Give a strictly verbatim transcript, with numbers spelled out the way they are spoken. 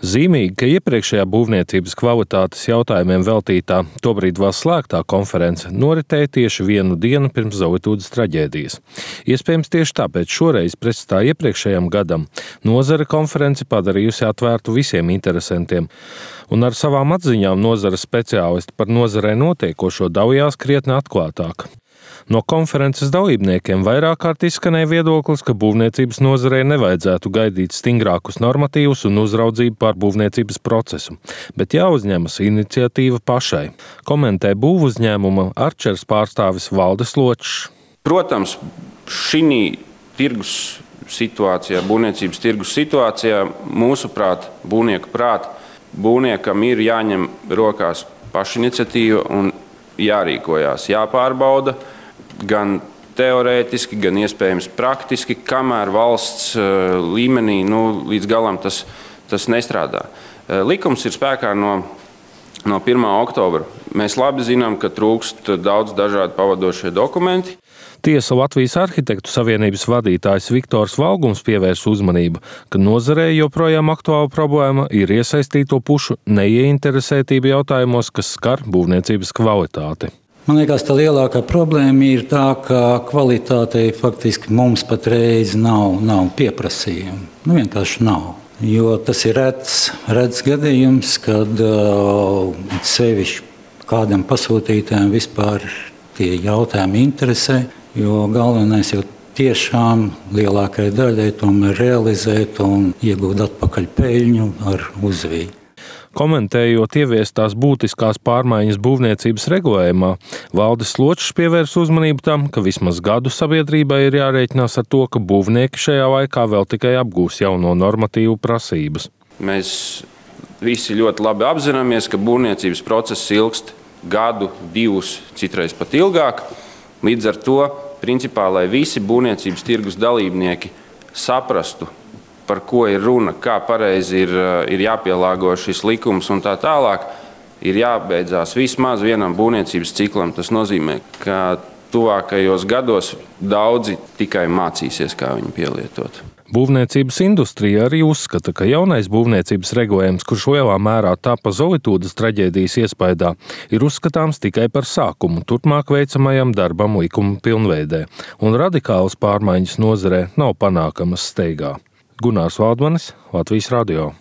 Zīmīgi, ka iepriekšējā būvniecības kvalitātes jautājumiem veltītā, tobrīd vēl slēgtā konference noritēja tieši vienu dienu pirms Zovitūdes traģēdijas. Iespējams, tieši tāpēc šoreiz pretstā iepriekšējam gadam nozare konferenci padarījusi atvērtu visiem interesantiem, un ar savām atziņām nozares speciālisti par nozarē notiekošo daujās krietni atklātāk. No konferences dalībniekiem vairāk kārt izskanēja viedoklis, ka būvniecības nozarei nevajadzētu gaidīt stingrākus normatīvus un uzraudzību pār būvniecības procesu, bet jāuzņemas iniciatīva pašai, komentē būvuzņēmuma Arčers pārstāvis Valdis Ločs. Protams, šī tirgus situācijā, būvniecības tirgus situācijā, mūsuprāt, būvnieku prāt, būvniekam ir jāņem rokās pašiniciatīva un jārīkojās, jāpārbauda gan teorētiski, gan iespējams praktiski, kamēr valsts līmenī nu, līdz galam tas, tas nestrādā. Likums ir spēkā no, no pirmā oktobra. Mēs labi zinām, ka trūkst daudz dažādu pavadošie dokumenti. Tiesa Latvijas arhitektu savienības vadītājs Viktors Valgums pievērs uzmanību, ka nozarē joprojām aktuāla problēma ir iesaistīto pušu neieinteresētība jautājumos, kas skar būvniecības kvalitāti. Man liekas, tā lielākā problēma ir tā, ka kvalitātei faktiski mums patreiz nav, nav pieprasījumu. Nu, vienkārši nav. Jo tas ir rets, rets gadījums, kad uh, sevišķi kādam pasūtītājam vispār tie jautājumi interesē, jo galvenais jau tiešām lielākai daļai tomēr realizēt un iegūt atpakaļ peļņu ar uzviju. Komentējot ieviestās būtiskās pārmaiņas būvniecības regulējumā, Valdis Ločs pievērs uzmanību tam, ka vismaz gadu sabiedrībai ir jārēķinās ar to, ka būvnieki šajā laikā vēl tikai apgūs jauno normatīvu prasības. Mēs visi ļoti labi apzināmies, ka būvniecības process ilgst gadu, divus, citreiz pat ilgāk. Līdz ar to, principā, lai visi būvniecības tirgus dalībnieki saprastu, par ko ir runa, kā pareizi ir, ir jāpielāgo šis likums un tā tālāk, ir jābeidzās vismaz vienam būvniecības ciklam. Tas nozīmē, ka tuvākajos gados daudzi tikai mācīsies, kā viņu pielietot. Būvniecības industrija arī uzskata, ka jaunais būvniecības regulējums, kurš lielā mērā tapa Zovitūdes traģēdijas iespaidā, ir uzskatāms tikai par sākumu turpmāk veicamajam darbam likuma pilnveidē, un radikālas pārmaiņas nozarē nav panākamas steigā. Gunārs Valdmanis, Latvijas radio.